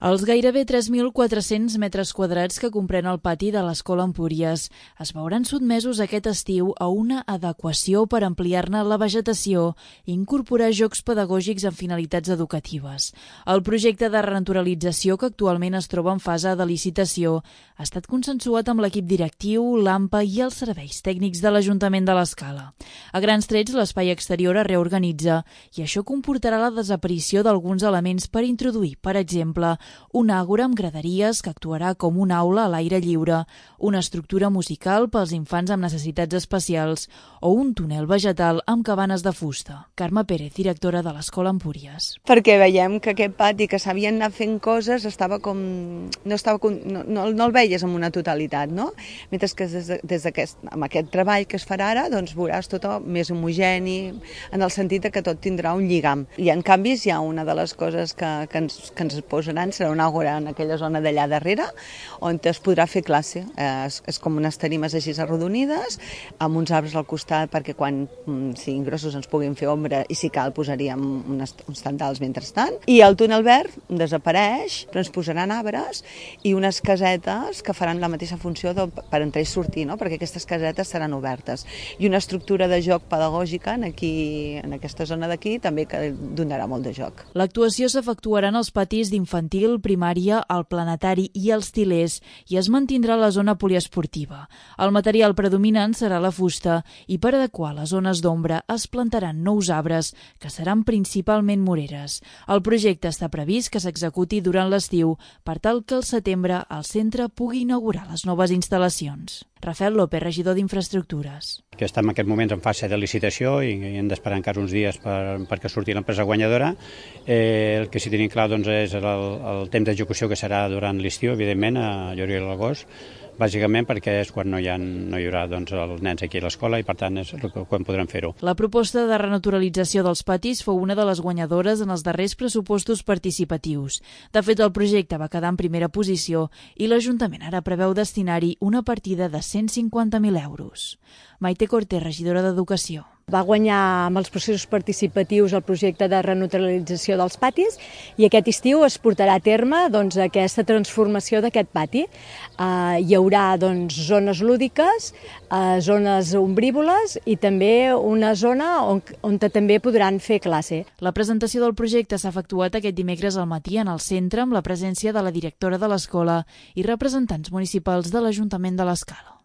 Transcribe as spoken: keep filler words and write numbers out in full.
Els gairebé tres mil quatre-cents metres quadrats que comprèn el pati de l'Escola Empúries es veuran sotmesos aquest estiu a una adequació per ampliar-ne la vegetació i incorporar jocs pedagògics amb finalitats educatives. El projecte de renaturalització, que actualment es troba en fase de licitació, ha estat consensuat amb l'equip directiu, l'A M P A i els serveis tècnics de l'Ajuntament de l'Escala. A grans trets, l'espai exterior es reorganitza i això comportarà la desaparició d'alguns elements per introduir, per exemple, un àgora amb graderies que actuarà com una aula a l'aire lliure, una estructura musical pels infants amb necessitats especials o un túnel vegetal amb cabanes de fusta. Carme Pérez, directora de l'Escola Empúries. Perquè veiem que aquest pati que s'havien anat fent coses estava com... no, estava com... no, no, no el veies en una totalitat, no? Mentre que des, de, des d'aquest, amb aquest treball que es farà ara, doncs veuràs tot més homogeni, en el sentit que tot tindrà un lligam. I en canvis hi ha una de les coses que, que, ens, que ens posaran, serà un àgora en aquella zona d'allà darrere, on es podrà fer classe. Eh, és, és com unes tarimes així arrodonides, amb uns arbres al costat, perquè quan mm, siguin grossos ens puguin fer ombra, i si cal posaríem unes, uns tendals mentrestant. I el túnel verd desapareix, però ens posaran arbres i unes casetes que faran la mateixa funció de, per entrar i sortir, no? Perquè aquestes casetes seran obertes. I una estructura de joc pedagògica en, aquí, en aquesta zona d'aquí també que donarà molt de joc. L'actuació s'efectuarà en els patis d'infantil, primària, el planetari i els tilers i es mantindrà la zona poliesportiva. El material predominant serà la fusta i per adequar les zones d'ombra es plantaran nous arbres que seran principalment moreres. El projecte està previst que s'executi durant l'estiu per tal que al setembre el centre pugui inaugurar les noves instal·lacions. Rafael López, regidor d'Infraestructures. Que estem en aquest moment en fase de licitació i hem d'esperar encara uns dies per, perquè surti l'empresa guanyadora. Eh, el que sí tenim clar doncs, és el, el temps d'execució que serà durant l'estiu, evidentment, a juliol i l'agost, bàsicament perquè és quan no hi, ha, no hi haurà doncs, els nens aquí a l'escola i per tant és quan podrem fer-ho. La proposta de renaturalització dels patis fou una de les guanyadores en els darrers pressupostos participatius. De fet, el projecte va quedar en primera posició i l'Ajuntament ara preveu destinar-hi una partida de cent cinquanta mil euros. Maite Cortés, regidora d'Educació. Va guanyar amb els processos participatius el projecte de renaturalització dels patis i aquest estiu es portarà a terme doncs, aquesta transformació d'aquest pati. Uh, hi haurà doncs, zones lúdiques, uh, zones ombrívoles i també una zona on, on també podran fer classe. La presentació del projecte s'ha efectuat aquest dimecres al matí en el centre amb la presència de la directora de l'escola i representants municipals de l'Ajuntament de l'Escala.